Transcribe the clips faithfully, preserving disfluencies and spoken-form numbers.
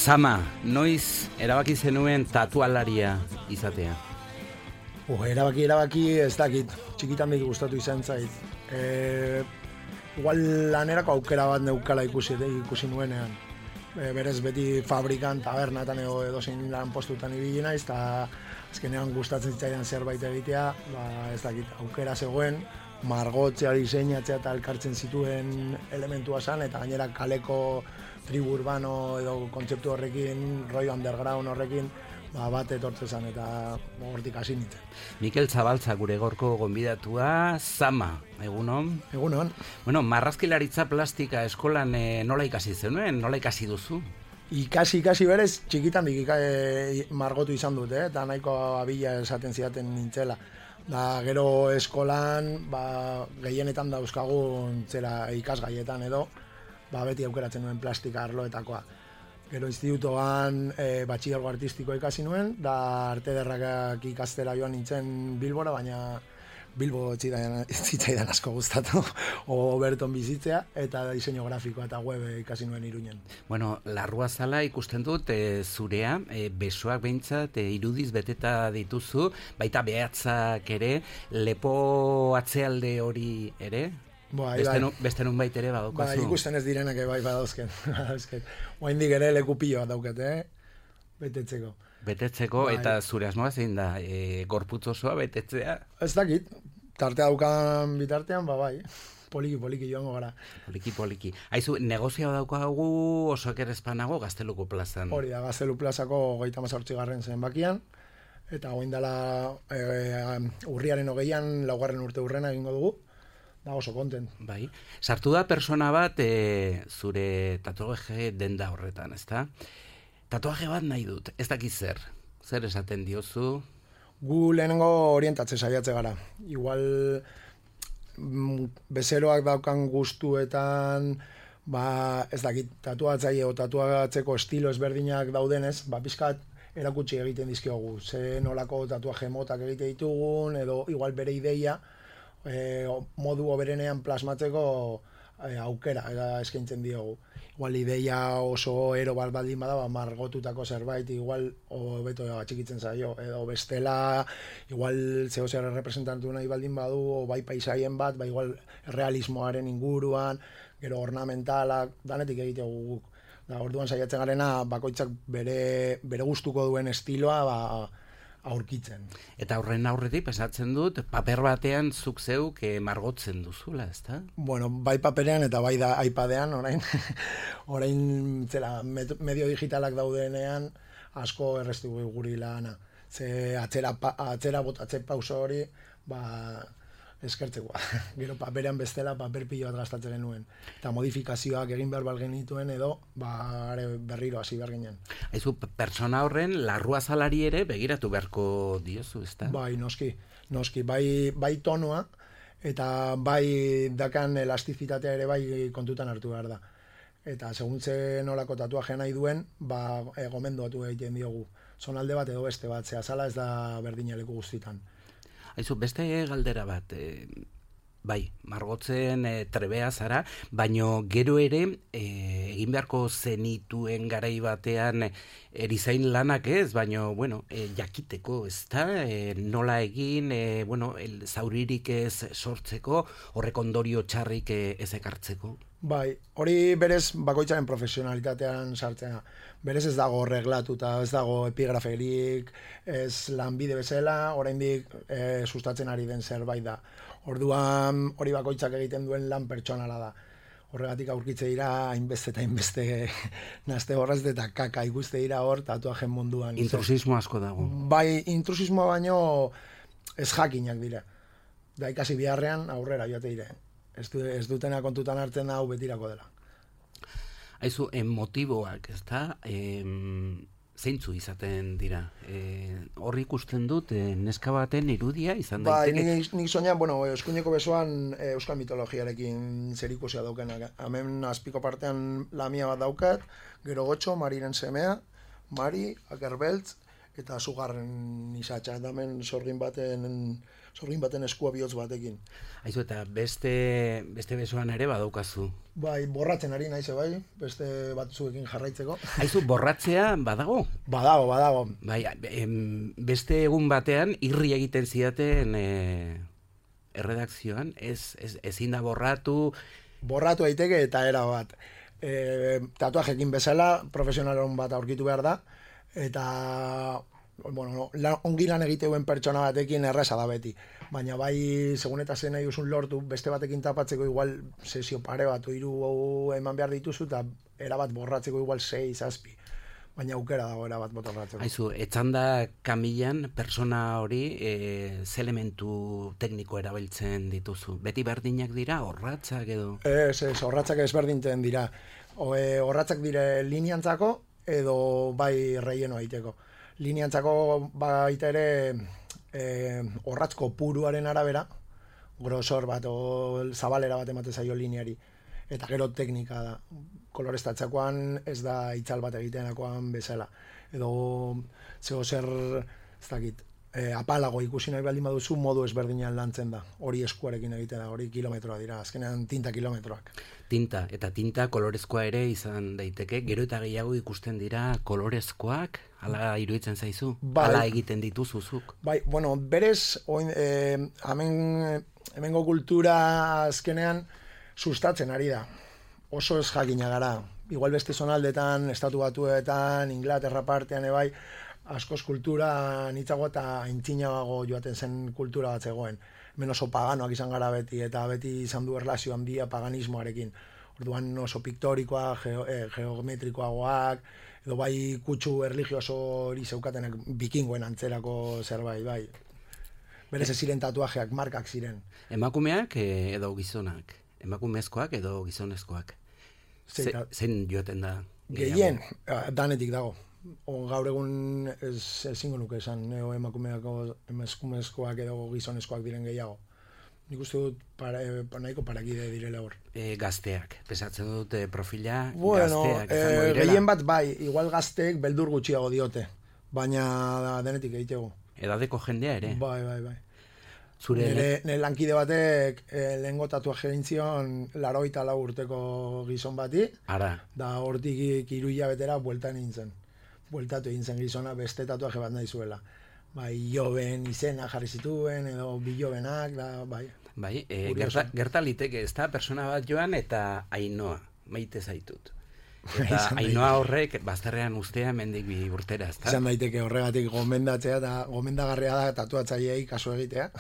Sama, noiz erabaki zenuen tatualaria izatea? Uh, erabaki, erabaki, ez dakit, txikitan dik gustatu izan zait. E, igual lanerako aukera bat neukala ikusi, ikusi nuenean. E, berez beti fabrikan, tabernatan edo edozein lan postutan ibili naiz, eta azkenean gustatzen zitzaidan zerbait egitea, ba, ez dakit, aukera zegoen, margotzea, diseinatzea eta elkartzen zituen elementua zan, eta gainera kaleko tribu urbano edo kontzeptu horrekin, rollo underground horrekin, ba, bat etortze zen eta hortik hasi nintzen. Mikel Zabaltza gure gorko gonbidatua, Sama, egunon? Egunon. Bueno, marrazkilaritza plastika eskolan e, nola ikasi zenuen, nola ikasi duzu? Ikasi, ikasi berez, txikitan dik e, margotu izan dut, eh? Eta nahiko abila esaten zidaten nintzela. Da, gero eskolan, ba, gehienetan dauzkagun zera ikasgaietan edo, ba, beti aukeratzen nuen plastika arloetakoa. Gero institutoan e, batxilergo artistikoa ikasi nuen, da arte ederrakak ikastera joan nintzen Bilbora, baina Bilbo zitzaidan asko gustatu, o Berton bizitzea, eta diseinu grafikoa eta web ikasi nuen Iruñen. Bueno, larrua zala ikusten dut e, zurea, e, besoak behintzat e, irudiz beteta dituzu, baita behatzak ere, lepo atzealde hori ere? Ba, beste, nu, beste nun bait ere badaukazu. Ba, ikusten ez direnak bai badauzken. Oaindik ere leku pilo bat dauket, eh? Betetzeko. Betetzeko, ba, eta zure asmoa zein da, e, gorputz osoa betetzea? Ez dakit, tartea daukan bitartean, ba bai, poliki poliki joango gara. Poliki poliki. Aizu, negozioa daukagu oso ekerezpanago Gazteluko plazan. Hori da, Gaztelu plazako hogeita hamazortzi garren zenbakian, eta goin dela e, urriaren hogeian, laugarren urte urrena egingo dugu. Da oso kontent. Bai. Sartu da persona bat e, zure tatuaje denda horretan, ezta? Tatuaje bat nahi dut, ez dakit zer. Zer esaten diozu? Gu lehenengo orientatze saiatze gara. Igual bezeroak daukan gustuetan, ba, ez dakit, tatuatzaile o tatuatzeko estilo ezberdinak daudenez, ba, pizkat erakutsi egiten dizkiogu. Ze nolako tatuaje motak egite ditugun, edo igual bere ideia, E, modu oberenean plasmatzeko e, aukera eta eskaintzen diogu. Igual ideia oso ero bat baldin bada, ba, margotutako zerbait, igual hobeto atxikitzen zaio, edo bestela, igual zeo zer representantu nahi baldin badu, o bai paisaien bat, ba igual realismoaren inguruan, gero ornamentalak, danetik egitegu guk. Da, orduan saiatzen garena, bakoitzak bere, bere gustuko duen estiloa, ba, aurkitzen. Eta horren aurretik pesatzen dut, paper batean zuk zeuk e, margotzen duzula, ezta? Bueno, bai paperean eta bai da iPadean, orain, orain zera, medio digitalak daudenean asko erreztu guri lana. Ze atzera, atzera botatze pauso hori, ba, eskertzekoa. Gero paperean bestela paper pilo bat gastatzen genuen. Eta modifikazioak egin behar bal genituen edo ba, berriro hasi behar ginen. Aizu, pertsona horren larrua zalari ere begiratu beharko diozu, ezta? Bai, noski. Noski, bai, bai tonua eta bai dakan elastizitatea ere bai kontutan hartu behar da. Eta seguntze nolako tatuaje nahi duen, ba, e, gomendoatu egiten diogu. Zonalde bat edo beste bat, ze azala ez da berdina leku guztitan. Aizu, beste galdera bat, e, bai, margotzen e, trebea zara, baino gero ere e, egin beharko zenituen garai batean erizain lanak ez, baino, bueno, e, jakiteko, ez da, e, nola egin, e, bueno, el, zauririk ez sortzeko, horrek ondorio txarrik e, ez ekartzeko. Bai, hori berez bakoitzaren profesionalitatean sartzea. Berez ez dago reglatuta, ez dago epigraferik, ez lanbide bezala, oraindik e, sustatzen ari den zerbait da. Orduan hori bakoitzak egiten duen lan pertsonala da. Horregatik aurkitze dira hainbeste eta hainbeste nazte horrez eta kaka ikuste dira hor tatuajen munduan. Intrusismo asko dago. Bai, intrusismoa baino ez jakinak dira. Da ikasi biharrean aurrera joate dire. Ez, du, ez dutena kontutan hartzen hau betirako dela. Aizu, motiboak, ez da, zeintzu izaten dira? E, horri ikusten dut, e, neska baten irudia izan daiteke? Bai, nik, nik soñan, bueno, eskuineko besoan e, euskal mitologiarekin zerikusia daukenak. Hemen azpiko partean lamia bat daukat, gero gotxo, Mariren semea, Mari, Akerbeltz, eta sugarren izatxa. Hemen sorgin baten sorgin baten eskua bihotz batekin. Aizu, eta beste, beste besoan ere badaukazu. Bai, borratzen ari naiz, bai, beste batzuekin jarraitzeko. Aizu, borratzea badago? Badago, badago. Bai, em, beste egun batean irri egiten zidaten e, erredakzioan, ez, ez, ezin da borratu... Borratu daiteke eta era bat. E, tatuajekin bezala, profesionalon bat aurkitu behar da, eta bueno, lan, ongi lan egiteuen pertsona batekin erresa da beti. Baina bai, segun eta zen nahi usun lortu, beste batekin tapatzeko igual sesio pare bat, hiru eman behar dituzu, eta erabat borratzeko igual sei, zazpi. Baina aukera dago erabat borratzeko. Aizu, etzanda kamilan persona hori e, ze elementu tekniko erabiltzen dituzu? Beti berdinak dira, orratzak edo? Ez, ez, orratzak ezberdinten dira. O, e, orratzak dire lineantzako edo bai relleno aiteko. Lineantzako baita ere e, orratzko puruaren arabera, grosor bat o zabalera bat emate zaio lineari. Eta gero teknika da. Kolorestatzakoan ez da itzal bat egitenakoan bezala. Edo zego zer, ez dakit, e, apalago ikusi nahi baldin baduzu modu ezberdinan lantzen da. Hori eskuarekin egiten da, hori kilometroa dira, azkenean tinta kilometroak. Tinta, eta tinta kolorezkoa ere izan daiteke, gero eta gehiago ikusten dira kolorezkoak, hala iruditzen zaizu? Bai, hala egiten dituzuzuk? Bai, bueno, berez, oin, e, hemen, hemengo kultura azkenean sustatzen ari da. Oso ez jakina gara. Igual beste zonaldetan, estatu batuetan, Inglaterra partean ebai, askoz kultura nitzago eta aintzinago joaten zen kultura bat zegoen. Hemen oso paganoak izan gara beti, eta beti izan du erlazio handia paganismoarekin. Orduan oso piktorikoa, geo, eh, geometrikoagoak, edo bai kutsu erligioso hori zeukatenak bikingoen antzerako zerbait, bai. Berez ez ziren tatuajeak, markak ziren. Emakumeak edo gizonak? Emakumezkoak edo gizonezkoak? Ze, zein joaten da? Gehien, danetik dago. O, gaur egun ez ezingo nuke esan, neo emakumeako emakumezkoak edo gizonezkoak diren gehiago. Nik uste dut para, para, nahiko parakide direla hor. E, gazteak, pesatzen dut e, profila bueno, gazteak izango e, direla. Gehien bat bai, igual gazteek beldur gutxiago diote, baina denetik egitego. Edadeko jendea ere? Bai, bai, bai. Zure nire, nire lankide batek e, lehengo tatuaje egin zion laroita lau urteko gizon bati. Ara. Da hortik hiru hilabetera bueltan nintzen. Bueltatu egin zen gizona beste tatuaje bat nahi zuela. Bai, Joben izena jarri zituen, edo Bilobenak, da, bai. Bai, e, gerta, gerta liteke, ez da, persona bat joan eta Ainoa, maite zaitut. Eta Ainoa horrek bazterrean ustea mendik bi urtera, ez da? Izan daiteke horregatik gomendatzea eta gomendagarria da tatuatzaileei kasu egitea.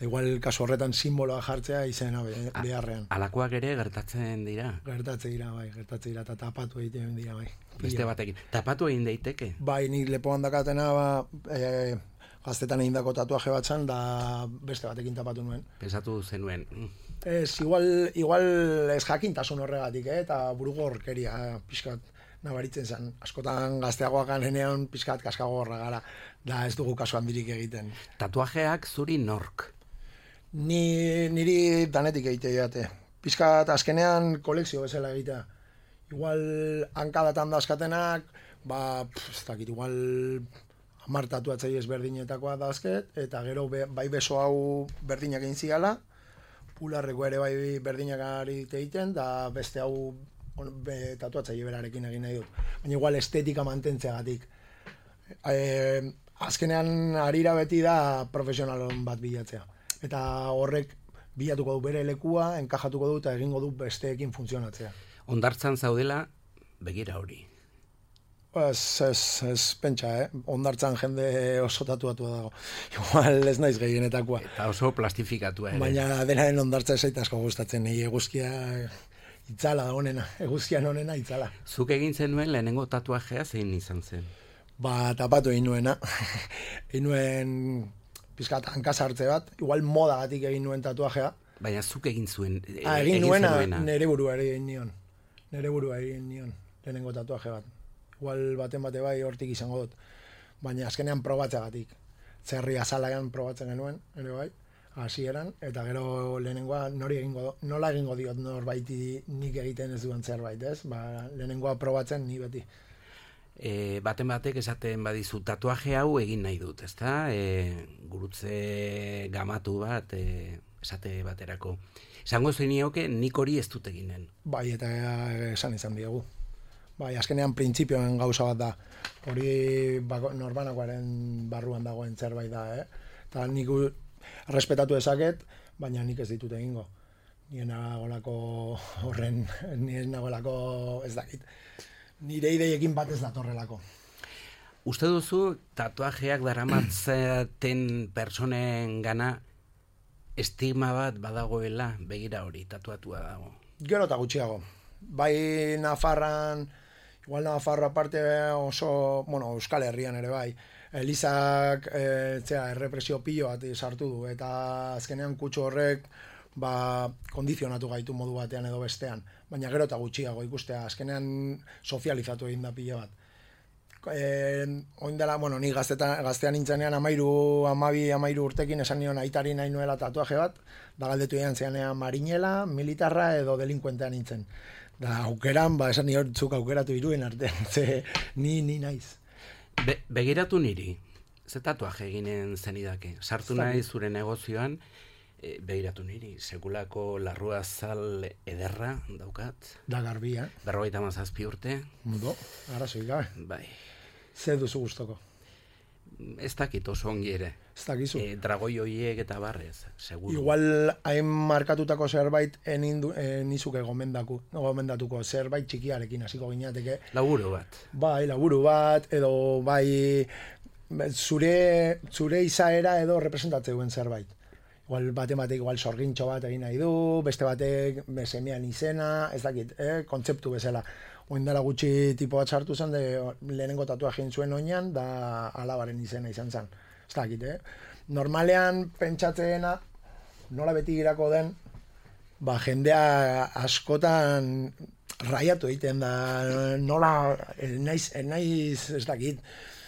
Igual kasu horretan simboloa jartzea izena beharrean. Alakoak ere gertatzen dira? Gertatze dira, bai, gertatze dira, eta tapatu egiten dira, bai. Beste batekin. Tapatu egin daiteke? Bai, nik lepoan dakatena, ba, e, gaztetan egindako tatuaje bat zan, da beste batekin tapatu nuen. Pensatu zenuen. Ez, igual, igual ez jakintasun horregatik, eh? Eta burugo horkeria, pixkat nabaritzen zen. Askotan gazteagoak anenean pixkat kaskagorra gara, da ez dugu kasu handirik egiten. Tatuajeak zuri nork? Ni, niri danetik egite jate. Pixkat azkenean kolekzio bezala egitea. Igual hankadatan dazkatenak, ba, pff, ez dakit, igual hamar tatuatzei ezberdinetakoa dazket, eta gero be, bai beso hau berdinak egin zigala, pularreko ere bai berdinak ari egiten, da beste hau be, tatuatzaile berarekin egin nahi dut. Baina igual estetika mantentzeagatik. E, azkenean arira beti da profesionalon bat bilatzea. Eta horrek bilatuko du bere lekua, enkajatuko du eta egingo du besteekin funtzionatzea. Hondartzan zaudela, begira hori. Ez, ez, ez pentsa, eh? Hondartzan jende oso tatuatua dago. Igual ez naiz gehienetakoa. Eta oso plastifikatua ere. Baina denaren hondartza ez asko gustatzen, nahi eguzkia itzala da honena, eguzkian honena itzala. Zuk egin zenuen lehenengo tatuajea zein izan zen? Ba, tapatu egin nuena. Egin nuen pizkat hankasartze bat, igual modagatik egin nuen tatuajea. Baina zuk egin zuen, e, ah, egin, egin nuena, zenuena. Nere burua egin nion. Nere burua egin nion, lehenengo tatuaje bat. Igual baten bate bai hortik izango dut. Baina azkenean probatzeagatik. Zerri azalagan probatzen genuen, ere bai, hasieran, eta gero lehenengoa nori egingo, nola egingo diot norbaiti nik egiten ez duen zerbait, ez? Ba, lehenengoa probatzen ni beti. E, baten batek esaten badizu tatuaje hau egin nahi dut, ezta? E, gurutze gamatu bat, e, esate baterako. Esango zenioke nik hori ez dut eginen. Bai, eta esan izan diegu. Bai, azkenean printzipioen gauza bat da. Hori bako, norbanakoaren barruan dagoen zerbait da, eh? Eta nik respetatu ezaket, baina nik ez ditut egingo. Nien nagolako horren, nien nagolako ez dakit. Nire ideiekin bat ez datorrelako. Uste duzu tatuajeak daramatzaten personen gana estigma bat badagoela, begira hori, tatuatua dago? Gero eta gutxiago. Bai Nafarran, igual Nafarro aparte oso, bueno, Euskal Herrian ere bai, Elizak e, zera, errepresio pilo bat sartu du, eta azkenean kutsu horrek ba, kondizionatu gaitu modu batean edo bestean, baina gero eta gutxiago ikustea, azkenean sozializatu egin da pilo bat. E, oin dela, bueno, ni gaztetan, gaztean nintzenean amairu, amabi, amairu urtekin esan nion aitari nahi nuela tatuaje bat, da galdetu egin zeanean marinela, militarra edo delinkuentean nintzen. Da aukeran, ba, esan nion zuk aukeratu iruen artean, ze ni, ni naiz. Be, begiratu niri, ze tatuaje eginen zenidake, sartu nahi zure negozioan, e, begiratu niri, sekulako larrua zal ederra daukat. Da garbia. Berrogeita mazazpi urte. Mudo, arazoik gabe. Bai. Ze duzu gustoko? Ez dakit oso ongi ere. Ez dakizu. E, dragoi hoiek eta barrez, seguru. Igual hain markatutako zerbait enindu, nizuke gomendaku, no, gomendatuko zerbait txikiarekin hasiko ginateke. Laburu bat. Bai, laburu bat, edo bai zure, zure izaera edo representatzen duen zerbait. Igual baten batek igual sorgintxo bat egin nahi du, beste batek semean izena, ez dakit, eh? Kontzeptu bezala. Oin dela gutxi tipo bat sartu zen, de lehenengo tatuaje egin zuen oinan, da alabaren izena izan zen. Ez dakit, eh? Normalean pentsatzeena, nola beti girako den, ba jendea askotan raiatu egiten da, nola, naiz, naiz ez dakit,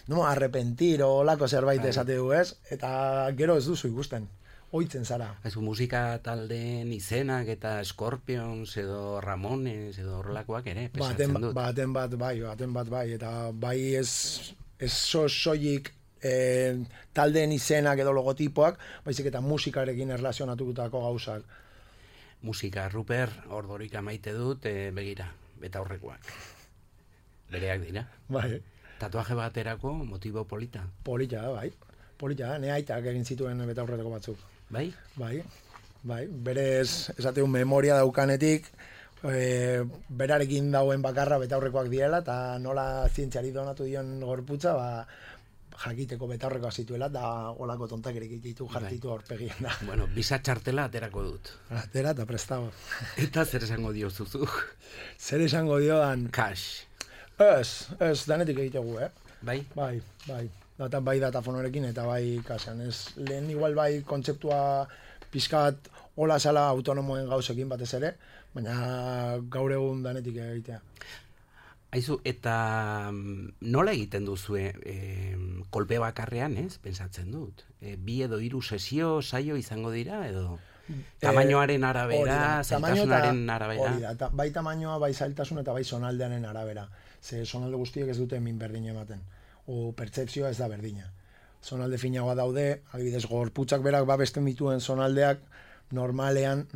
no, arrepentir o lako zerbait esate du, ez? Eta gero ez duzu ikusten. Oitzen zara. Ez musika taldeen izenak eta Scorpions edo Ramones edo horrelakoak ere pesatzen baten, dut. Baten bat bai, baten bat bai, eta bai ez, ez so soilik eh, taldeen izenak edo logotipoak, baizik eta musikarekin erlazionatutako gauzak. Musika, Ruper, ordorik maite dut, e, begira, eta horrekoak. Bereak dira. Bai. Tatuaje baterako motibo polita. Polita, bai. Polita, ne aitak egin zituen betaurretako batzuk. Bai? Bai, bai. Berez, esateu, memoria daukanetik, e, berarekin dauen bakarra betaurrekoak diela, eta nola zientziari donatu dion gorputza, ba, jakiteko betaurrekoa zituela, da olako tontakerik ditu jartitu aurpegien da. Bueno, bisa txartela aterako dut. Atera eta prestago. Eta zer esango dio zuzu? Zer esango diodan? Cash. Ez, ez, danetik egitegu, eh? Bai? Bai, bai. Data, bai datafonorekin eta bai kasean. Ez, lehen igual bai kontzeptua pizkat hola zala autonomoen gauzekin batez ere, baina gaur egun danetik egitea. Aizu, eta nola egiten duzue e, kolpe bakarrean, ez? Pentsatzen dut. E, bi edo hiru sesio, saio izango dira, edo tamainoaren arabera, zailtasunaren arabera? Hori da, bai tamainoa, bai zailtasun eta bai sonaldearen arabera. Ze sonalde guztiek ez dute min berdin ematen. O pertzepzioa ez da berdina. Zonalde finagoa daude, adibidez gorputzak berak babesten dituen zonaldeak normalean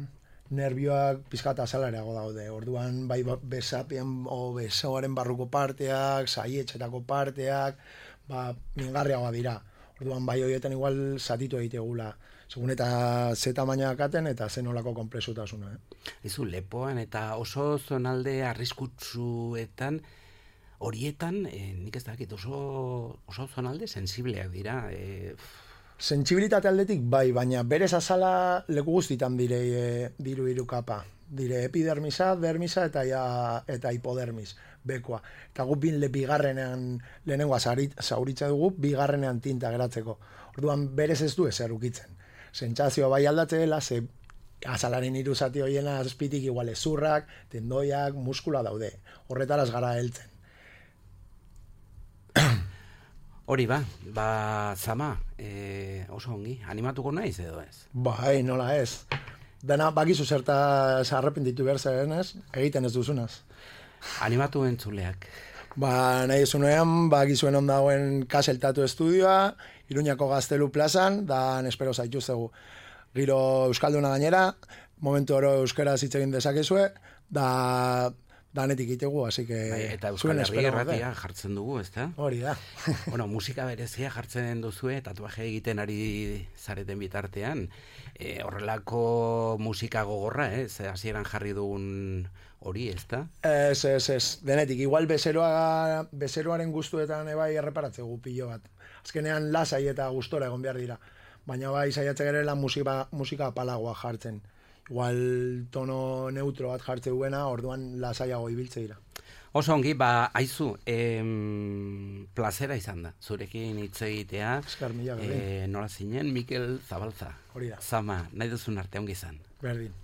nervioak pizkata azalarago daude. Orduan bai besapien o besoaren barruko parteak, saietxetako parteak, ba mingarriagoa dira. Orduan bai horietan igual zatitu egitegula. Segun eta ze tamaina dakaten eta ze nolako konplexutasuna. Eh? Ezu, lepoan eta oso zonalde arriskutsuetan horietan, eh, nik ez dakit, oso, oso zonalde sensibleak dira. Eh, Sentsibilitate aldetik bai, baina berez azala leku guztitan dire e, diru hiru kapa. Dire epidermisa, dermisa eta ja, eta hipodermis, bekoa. Eta gu bin le bigarrenean lehenengoa zauritza dugu, bigarrenean tinta geratzeko. Orduan berez ez du ezer ukitzen. Sentsazioa bai aldatze dela, ze azalaren hiru zati hoiena azpitik igual ezurrak, tendoiak, muskula daude. Horretaraz gara heltzen. Hori ba, ba zama, e, oso ongi, animatuko naiz edo ez? Bai, nola ez. Dena bakizu zerta arrepentitu behar zaren ez, egiten ez duzunaz. Animatu entzuleak. Ba, nahi esunean, ba, gizuen ondagoen Kasel Tatu Estudioa, Iruñako Gaztelu plazan, da espero zaitu zegu. Giro Euskalduna gainera, momentu oro euskera hitz egin dezakezue, da danetik itegu, así que... Bai, eta Euskal Herri erratia jartzen dugu, ezta? Hori da. Bueno, musika berezia jartzen duzue, tatuaje egiten ari zareten bitartean, e, horrelako musika gogorra, ez? Hasieran jarri dugun hori, ezta? Ez, ez, ez, denetik, igual bezeroa, bezeroaren guztuetan ebai erreparatzegu pilo bat. Azkenean lasai eta gustora egon behar dira. Baina bai, saiatze gerela musika, musika palagoa jartzen. Igual tono neutro bat jartze duena, orduan lasaiago ibiltze dira. Oso ongi, ba, aizu, em, plazera izan da, zurekin hitz egitea. Eskar mila, e, nola zinen, Mikel Zabalza. Hori da. Zama, nahi duzun arte ongi izan. Berdin.